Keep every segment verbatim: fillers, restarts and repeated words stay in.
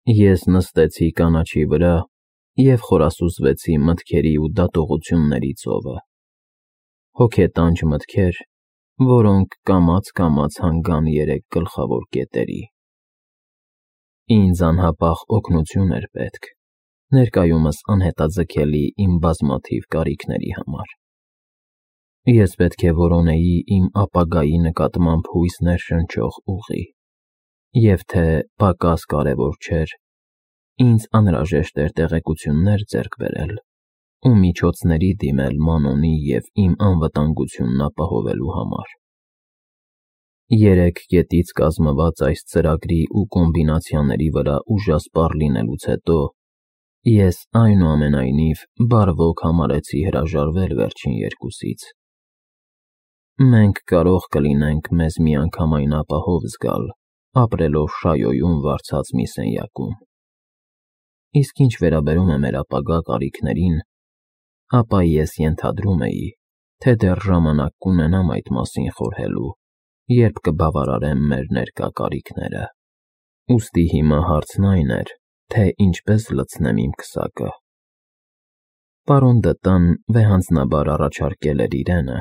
Ես նստեցի կանաչի վրա և խորասուզվեցի մտքերի ու դատողությունների ծովը, հոգետանջ մտքեր, որոնք կամաց-կամաց հանգան երեք գլխավոր կետերի։ Ինձ անհապաղ օգնություն էր պետք, ներկայումս անհետաձգելի իմ բազմաթիվ կարիքների համար։ Ես պետք է որոնեի իմ ապագայի նկատմամբ հույս ներշնչող ուղի, և թե պակաս կարևոր չէր, ինձ անհրաժեշտ էր տեղեկություններ ձեռք բերել ու միջոցների դիմել Մանոնի և իմ անվտանգությունն ապահովելու համար։ Երեք կետից կազմված այս ծրագրի ու կոմբինացիաների վրա ուժասպառ լինելուց հետո ես այնուամենայնիվ բարվոք համարեցի հրաժարվել վերջին երկուսից։ Մենք կարող կլինենք մեզ միանգամայն ապահով զգալ, ապրելով Շայոյում վարձած մի սենյակում։ Իսկ ինչ վերաբերում է մեր ապագա կարիքներին, ապա ես ենթադրում էի, թե դեռ ժամանակ կունենամ այդ մասին խորհելու, երբ կբավարարեմ մեր ներկա կարիքները։ Ուստի հիմա հարցն այն էր, թե ինչպես լցնեմ իմ քսակը։ Պարոն Դտան վեհանձնաբար առաջարկել էր իրենը,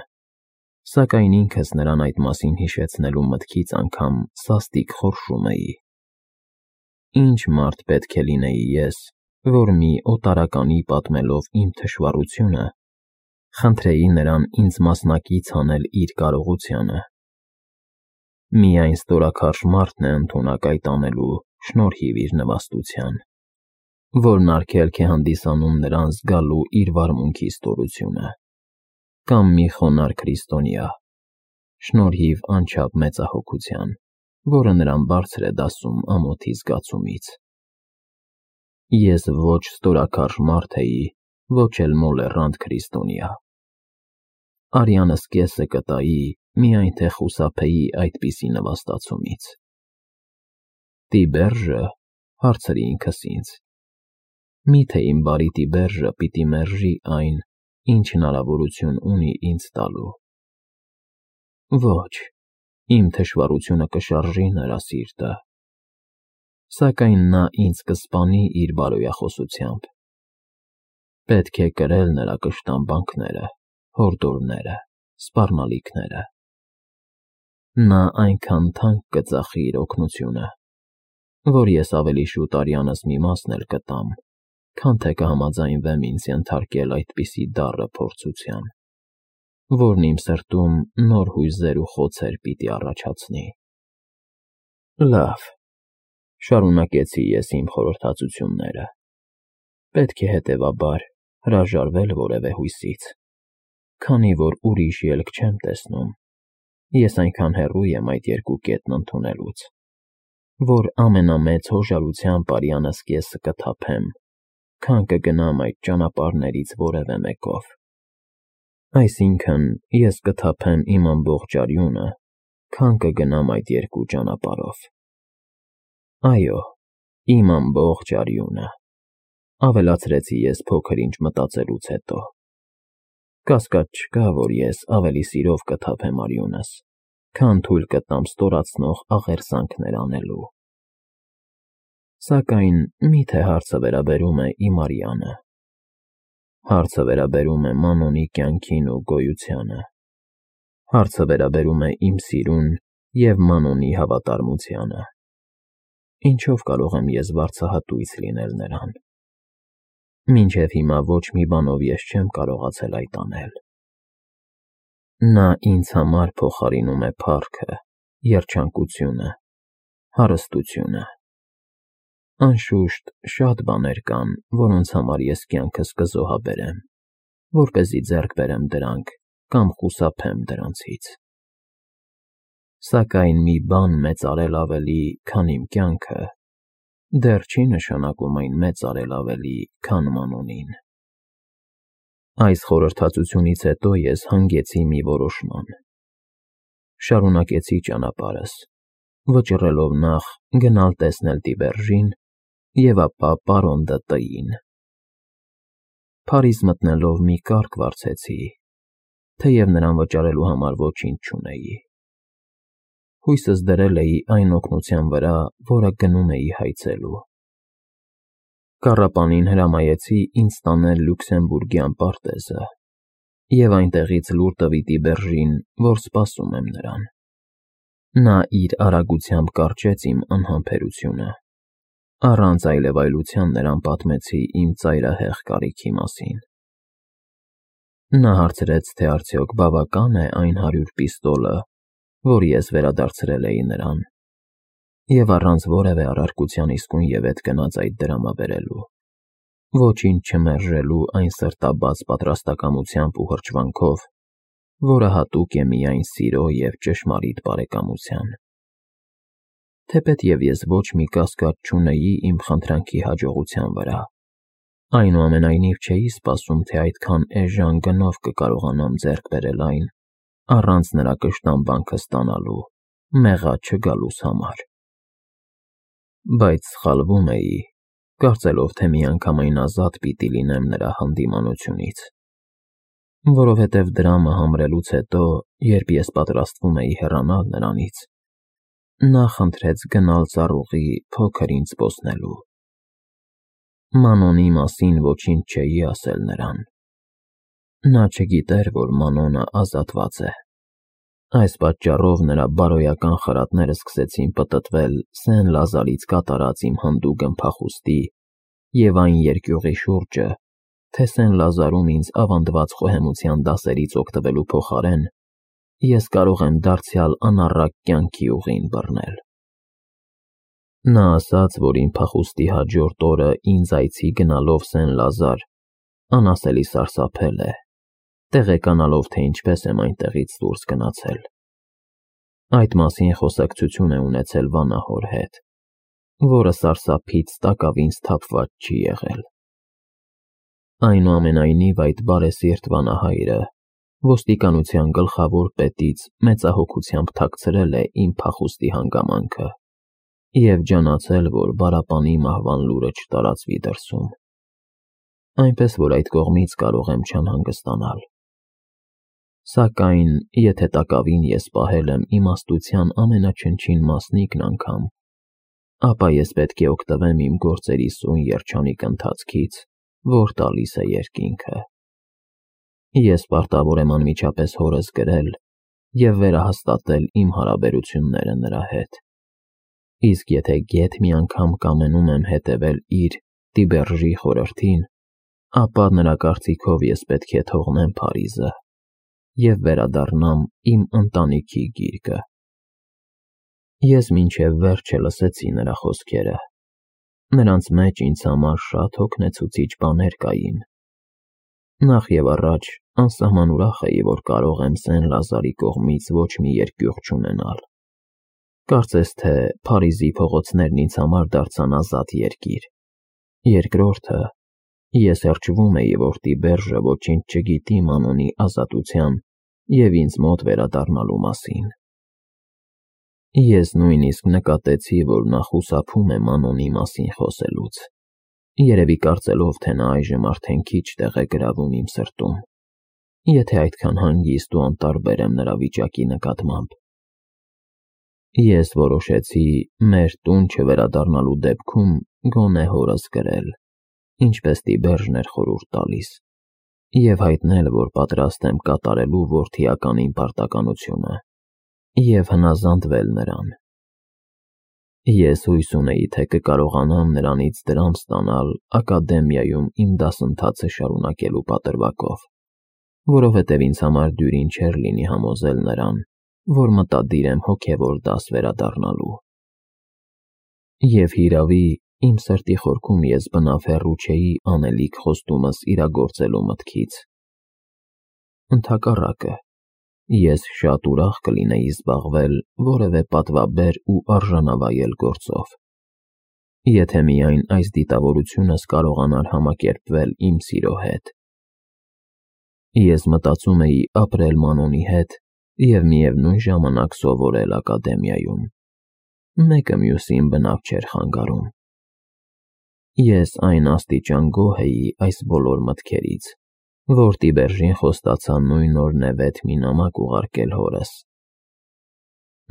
սակայն ինքս նրան այդ մասին հիշեցնելու մտքից անգամ սաստիկ խորշում էի։ Ինչ մարդ պետք է լինեի ես, որ մի օտարականի պատմելով իմ թշվառությունը, խնդրեի նրան ինձ մասնակից անել իր կարողությանը։ Միայն ստորաքարշ մարդն է ընդունակ այդ անելու շնորհիվ իր նվաստության, որն արգելք է հանդիսանում նրան զգալու իր վարմունքի ստորությունը, կամ մի խոնարհ քրիստոնյա, շնորհիվ անչափ մեծահոգության, որը նրան բարձր է դասում ամոթի զգացումից։ Ես ոչ ստորաքարշ մարդ էի, ոչ էլ մոլեռանդ քրիստոնյա։ Արյանս կեսը կտայի, միայն թե խուսափեի այդպիսի նվաստացումից։ Տիբերժը, հարցրի ինքս ինձ, միթե իմ բարի Տիբերժը պիտի մերժի այն, ինչ հնարավորություն ունի ինձ տալու։ Ոչ, իմ թշվառությունը կշարժի նրա սիրտը, սակայն նա ինձ կսպանի իր բարոյախոսությամբ։ Պետք է կրել նրա կշտամբանքները, հորդորները, սպառնալիքները։ Նա այնքան թանկ կծախի իր օգնությունը, որ ես ավելի շուտ արյանս մի մասն էլ կտամ, քան թե կհամաձայնվեմ ինձ ենթարկել այդպիսի դառը փորձության, որն իմ սրտում նոր հույզեր ու խոցեր պիտի առաջացնի։ Լավ, շարունակեցի ես իմ խորհրդածությունները, պետք է հետևաբար հրաժարվել որևէ հույսից, քանի որ ուրիշ ելք չեմ տեսնում, ես այնքան հեռու եմ այդ երկու կետն ընդունելուց, որ ամենամեծ հոժարությամբ արյանս կեսը կթափեմ, քան կգնամ այդ ճանապարհներից որևէ մեկով։ Այսինքն, ես կթափեմ իմ ամբողջ արյունը, քան կգնամ այդ երկու ճանապարհով։ Այո, իմ ամբողջ արյունը, ավելացրեցի ես փոքր-ինչ մտածելուց հետո։ Կասկած չկա, որ ես ավելի սիրով կթափեմ արյունս, քան թույլ կտամ ստորացնող աղերսանքներ անելու։ Սակայն մի՞թե հարցը վերաբերում է իմ արյանը։ Հարցը վերաբերում է Մանոնի կյանքին ու գոյությանը։ Հարցը վերաբերում է իմ սիրուն և Մանոնի հավատարմությանը։ Ինչով կարող եմ ես վարձահատույց լինել նրան։ Մինչև հիմա ոչ մի բանով ես չեմ կարողացել այդ անել։ Նա ինձ համար փոխարինում է փառքը, երջանկությունը, հարստությունը։ Անշուշտ, շատ բաներ կան, որոնց համար ես կյանքս կզոհաբերեմ, որպեսզի ձեռք բերեմ դրանք կամ խուսափեմ դրանցից։ Սակայն մի բան մեծարել ավելի, քան իմ կյանքը, դեռ չի նշանակում այն մեծարել ավելի, քան Մանոնին։ Այս խորհրդածությունից հետո ես հանգեցի մի որոշման։ Շարունակեցի ճանապարհս, վճռելով նախ գնալ տեսնել Տիբերժին և ապա պարոն ԴՏ-ին։ Փարիզ մտնելով մի կառք վարձեցի, թեև նրան վճարելու համար ոչինչ չունեի։ Հույսս դրել էի այն օգնության վրա, որը գնում էի հայցելու։ Կառապանին հրամայեցի ինձ տանել Լյուքսեմբուրգյան պարտեզը և այնտեղից լուր տվի Տիբերժին, որ սպասում եմ նրան։ Նա իր արագությամբ կարճեց իմ անհամբերությունը։ Առանց այլևայլության նրան պատմեցի իմ ծայրահեղ կարիքի մասին։ Նա հարցրեց, թե արդյոք բավական է այն հարյուր պիստոլը, որ ես վերադարձրել էի նրան, և առանց որևէ առարկության իսկույնևեթ գնաց այդ դրամաբերելու, ոչինչ չմերժելու այն սրտաբաց պատրաստակամությամբ ու հրճվանքով, որը հատուկ է միայն սիրո և ճշմարիտ բարեկամության։ Թեպետև ես ոչ մի կասկած չունեի իմ խնդրանքի հաջողության վրա, այնուամենայնիվ չէի սպասում, թե այդքան էժան գնով կկարողանամ ձեռք բերել այն, առանց նրա կշտամբանքը ստանալու, մեղա չգալուս համար։ Բայց սխալվում էի, կարծելով, թե միանգամայն ազատ պիտի լինեմ նրա հանդիմանությունից, որովհետև դրամը համրելուց հետո, երբ ես պատրաստվում էի հեռանալ նրանից, նա խնդրեց գնալ ծառուղի փոքր ինձ զբոսնելու։ Մանոնի մասին ոչինչ չէի ասել նրան։ Նա չգիտեր, որ Մանոնը ազատված է։ Այս պատճառով նրա բարոյական խրատները սկսեցին պտտվել Սեն Լազարից կատարած իմ հանդուգն փախուստի և այն երկյուղի շուրջը, թե Սեն Լազարում ինձ ավանդված խոհեմության դասերից օգտվելու փոխարեն ես կարող եմ դարձյալ անառակ կյանքի ուղին բռնել։ Նա ասաց, որ իմ փախուստի հաջորդ օրը ինձ այցի գնալով Սեն Լազար անասելի սարսափել է, տեղեկանալով, թե ինչպես եմ այնտեղից դուրս գնացել։ Այդ մասին խոսակցություն է ունեցել վանահոր հետ, որը սարսափից տակավին սթափված չի եղել։ Այնուամենայնիվ այդ բարեսիրտ վանահայրը ոստիկանության գլխավոր պետից մեծահոգությամբ թաքցրել է իմ փախուստի հանգամանքը և ջանացել, որ Բարապանի մահվան լուրը չտարածվի դրսում, այնպես որ այդ կողմից կարող եմ չանհանգստանալ։ Սակայն, եթե տակավին ես պահել եմ իմաստության ամենաչնչին մասնիկն անգամ, ապա ես պետք է օգտվեմ իմ գործերի սույն երջանիկ ընթացքից, որ տալիս է երկինքը։ Ես պարտավոր եմ անմիջապես հորս գրել և վերահաստատել իմ հարաբերությունները նրա հետ, իսկ եթե գեթ մի անգամ կամենում եմ հետևել իր Տիբերժի խորհրդին, ապա նրա կարծիքով ես պետք է թողնեմ Փարիզը և վերադառնամ իմ ընտանիքի գիրկը։ Ես մինչև վերջը լսեցի նրա խոսքերը։ Նրանց մեջ ինձ համար շատ հոգնեցուցիչ բաներ կային։ Նախ և առաջ անսահման ուրախ էի, որ կարող եմ Սեն Լազարի կողմից ոչ մի երկյուղ չունենալ։ Կարծես թե Փարիզի փողոցներն ինձ համար դարձան ազատ երկիր։ Երկրորդը, ես հրճվում էի, որ Տիբերժը ոչինչ չգիտի Մանոնի ազատության և ինձ մոտ վերադառնալու մասին։ Ես նույնիսկ նկատեցի, որ նա խուսափում է Մանոնի մասին խոսելուց, երևի կարծելով, թե նա այժմ արդեն քիչ տեղ է գրավում իմ սրտում, եթե այդքան հանգիստ ու անտարբեր եմ նրա վիճակի նկատմամբ։ Ես որոշեցի մեր տուն չվերադառնալու դեպքում գոնե հորս գրել, ինչպես Տիբերժն էր խորհուրդ տալիս, և հայտնել, որ պատրաստ եմ կատարելու որդիական իմ պարտականությունը և հնազանդվել նրան։ Ես հույս ունեի, թե կկարողանամ նրանից դրամ ստանալ ակադեմիայում իմ դասընթացը շարունակելու պատրվակով, որովհետև ինձ համար դյուրին չէր լինի համոզել նրան, որ մտադիր եմ հոգևոր դաս վերադառնալու։ Եվ հիրավի, իմ սրտի խորքում ես բնավ հեռու չէի անելիք խոստումս իրագործելու մտքից։ Ընդհակառակը, ես շատ ուրախ կլինեի զբաղվել որևէ պատվաբեր ու արժանավայել գործով, եթե միայն այս դիտավորությունս կարողանար համակերպվել իմ սիրո հետ։ Ես մտածում էի ապրել Մանոնի հետ և միևնույն ժամանակ սովորել ակադեմիայում։ Մեկը մյուսին բնավ չէր խանգարում։ Ես այն աստիճան գոհ էի այս բոլոր մտքերից, որ Տիբերժին խոստացա նույն օր նևեթ մի նամակ ուղարկել հորս։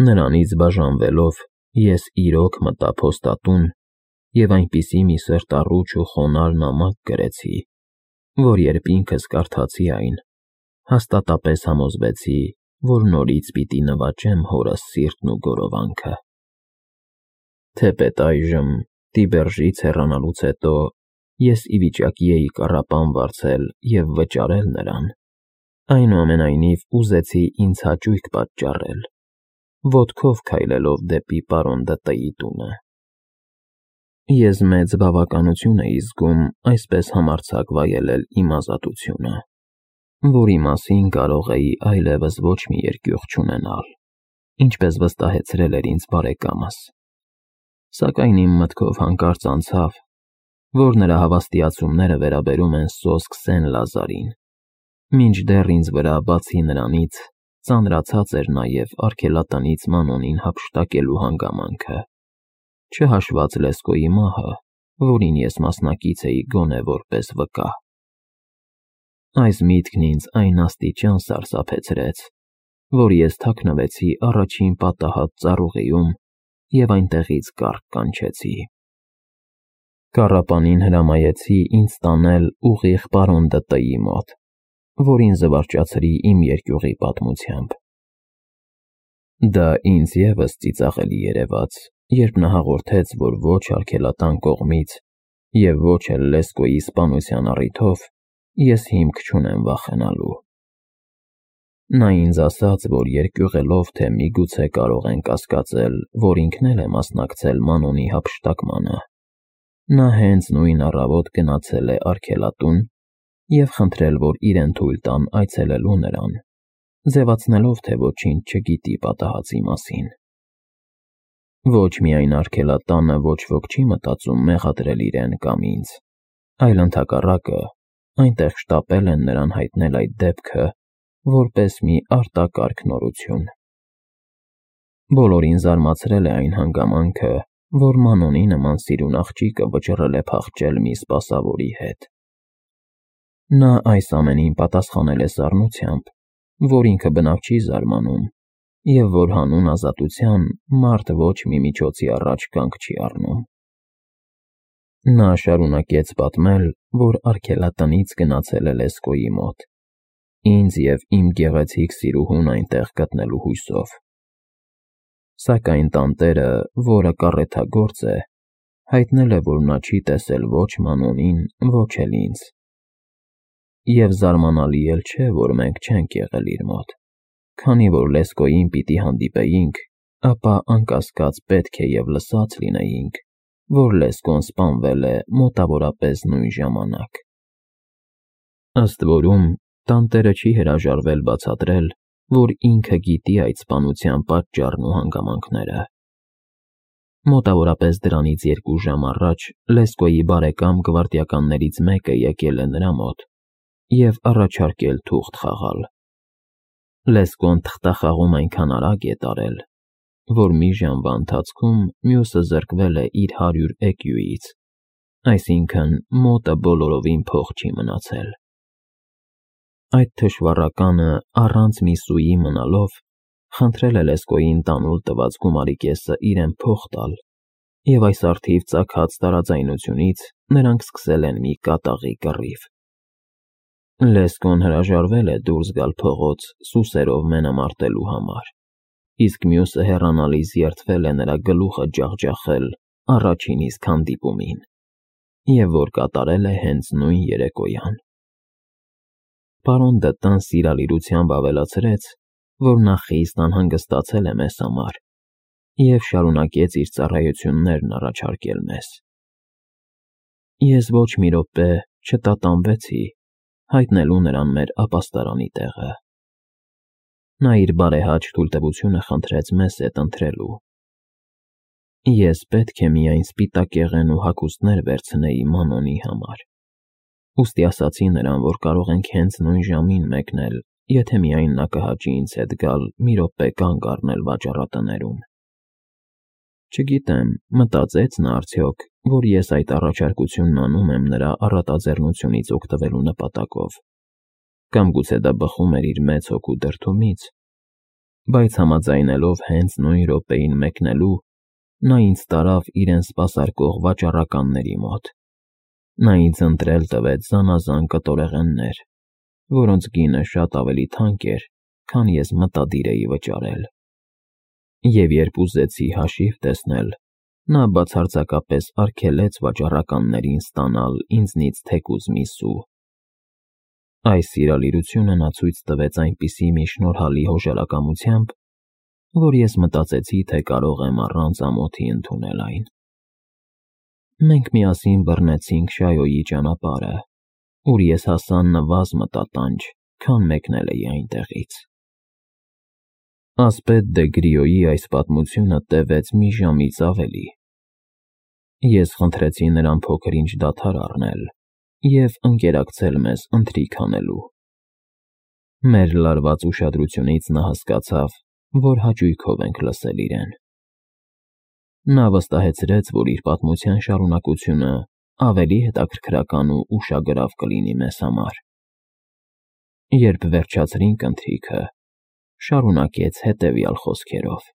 Նրանից բաժանվելով, ես իրոք մտա փոստատուն և այնպիսի մի սրտառուչ ու խոնարհ նամակ գրեցի, որ երբ ինքս կարդացի այն, հաստատապես համոզվեցի, որ նորից պիտի նվաճեմ հորս սիրտն ու գորովանքը։ Թեպետ այժմ, Տիբերժից հեռանալուց հետո, ես ի վիճակի էի կառապան վարձել և վճարել նրան, այնուամենայնիվ ուզեցի ինձ հաճույք պատճառել, ոտքով քայլելով դեպի պարոն Դ.Տ.-ի տունը։ Ես մեծ բավականություն էի զգում այսպես համարձակ վայելել իմ ազատությունը, որի մասին կարող էի այլևս ոչ մի երկյուղ չունենալ, ինչպես վստահեցրել էր ինձ բարեկամս, սակայն իմ մտքով հանկարծ անցավ, որ նրա հավաստիացումները վերաբերում են սոսկ Սեն֊Լազարին, մինչդեռ ինձ վրա, բացի նրանից, ծանրացած էր նաև արգելատնից Մանոնին հափշտակելու հանգամանքը, չհաշված Լեսկոյի մահը, որին ես մասնակից էի գոնե որպես վկա։ Այս միտքն ինձ այն աստիճան սարսափեցրեց, որ ես թաքնվեցի առաջին պատահած ծառուղիում և այնտեղից կառք կանչեցի։ Կառապանին հրամայեցի ինձ տանել ուղիղ պարոն Դ.Տ.-ի մոտ, որին զվարճացրի իմ երկյուղի պատմությամբ։ Դա ինձ ևս ծիծաղելի երևաց, երբ նա հաղորդեց, որ ոչ արգելատան կողմից և ոչ էլ Լեսկոյի սպանության առիթով ես հիմք չունեմ վախենալու։ Նա ինձ ասաց, որ երկյուղելով, թե միգուցե կարող են կասկածել, որ ինքն էլ է մասնակցել Մանոնի հափշտակմանը, նա հենց նույն առավոտ գնացել է արգելատուն և խնդրել, որ իրեն թույլ տան այցելելու նրան, ձևացնելով, թե ոչինչ չգիտի պատահածի մասին։ Ոչ միայն արգելատանը ոչ ոք չի մտածում մեղադրել իրեն կամ ինձ, այլ ընդհակառակը, այնտեղ շտապել են նրան հայտնել այդ դեպքը որպես մի արտակարգ նորություն։ Բոլորին զարմացրել է այն հանգամանքը, որ Մանոնի նման սիրուն աղջիկը վճռել է փախչել մի սպասավորի հետ։ Նա այս ամենին պատասխանել է սառնությամբ, որ ինքը բնավ չի զարմանում, և որ հանուն ազատության մարդ ոչ մի միջոցի առաջ կանգ չի առնում։ Նա շարունակեց պատմել, որ արգելատնից գնացել է Լեսկոյի մոտ, ինձ և իմ գեղեցիկ սիրուհուն այնտեղ գտնելու հույսով։ Սակայն տանտերը, որը կառեթագործ է, հայտնել է, որ նա չի տեսել ոչ Մանոնին, ոչ էլ ինձ։ Եվ զարմանալի էլ չէ, որ մենք չենք եղել իր մոտ, քանի որ Լեսկոյին պիտի հանդիպեինք, ապա անկասկած պետք է և լսած լինեինք, որ Լեսկոն սպանվել է մոտավորապես նույն ժամանակ։ Ըստ որում, տանտերը չի հրաժարվել բացատրել, որ ինքը գիտի այդ սպանության պատճառն ու հանգամանքները։ Մոտավորապես դրանից երկու ժամ առաջ Լեսկոյի բարեկամ գվարդիականներից մեկը եկել է նրա մոտ և առաջարկել թուղթ խաղալ։ Լեսկոն թղթախաղում այնքան արագ է տարել, որ մի ժամվա ընթացքում մյուսը զրկվել է իր հարյուր էկյուից, այսինքն մոտը բոլորովին փող չի մնացել։ Այդ թշվառականը առանց մի սուի մնալով խնդրել է Լեսկոյին տանուլ տված գումարի կեսը իրեն փող տալ, և այս առթիվ ծագած տարաձայնությունից նրանք սկսել են մի կատաղի կռիվ։ Լեսկոն հրաժարվել է դուրս գալ փողոց սուսերով մենամարտելու համար, իսկ մյուսը հեռանալիս երդվել է նրա գլուխը ջախջախել առաջին իսկ հանդիպումին, և որ կատարել է հենց նույն երեկոյան։ Պարոն Դ.Տ.-ն սիրալիրությամբ ավելացրեց, որ նա խիստ անհանգստացել է մեզ համար և շարունակեց իր ծառայություններն առաջարկել մեզ։ Ես ոչ մի րոպե չտատանվեցի հայտնելու նրան մեր ապաստարանի տեղը։ Նա իր բարեհաճ թույլտվությունը խնդրեց մեզ հետ ընթրելու։ Ես պետք է միայն սպիտակեղեն ու հագուստներ վերցնեի Մանոնի համար, ուստի ասացի նրան, որ կարող ենք հենց նույն ժամին մեկնել, եթե միայն նա կհաճի ինձ հետ գալ մի րոպե կանգ առնել վաճառատներում։ Չգիտեմ, մտածե՞ց նա արդյոք, որ ես այդ առաջարկությունն անում եմ նրա առատաձեռնությունից օգտվելու նպատակով, կամ գուցե դա բխում էր իր մեծ հոգու դրդումից, բայց համաձայնելով հենց նույն րոպեին մեկնելու, նա ինձ տարավ իրեն սպասարկող վաճառականների մոտ։ Նա ինձ ընտրել տվեց զանազան կտորեղեններ, որոնց գինը շատ ավելի թանկ էր, քան ես մտադիր էի վճարել։ Եվ երբ ուզեցի հաշիվ տեսնել, նա բացարձակապես արգելեց վաճառականներին ստանալ ինձնից թեկուզ մի սու։ Այս սիրալիրությունը նա ցույց տվեց այնպիսի մի շնորհալի հոժարակամությամբ, որ ես մտածեցի, թե կարող եմ առանց ամոթի ընդունել այն։ Մենք միասին բռնեցինք Շայոյի ճանապարհը, ուր ես հասա նվազ մտատանջ, քան մեկնել էի այնտեղից։ Ասպետ դե Գրիոյի այս պատմությունը տևեց մի ժամից ավելի։ Ես խնդրեցի նրան փոքր-ինչ դադար առնել և ընկերակցել մեզ ընթրիք անելու։ Մեր լարված ուշադրությունից նա հասկացավ, որ հաճույքով ենք լսել իրեն։ Նա վստահեցրեց, որ իր պատմության շարունակությունը ավելի հետաքրքրական ու ուշագրավ կլինի մեզ համար։ Երբ վերջացրինք ընթրիքը, շարունակեց հետևյալ խոսքերով.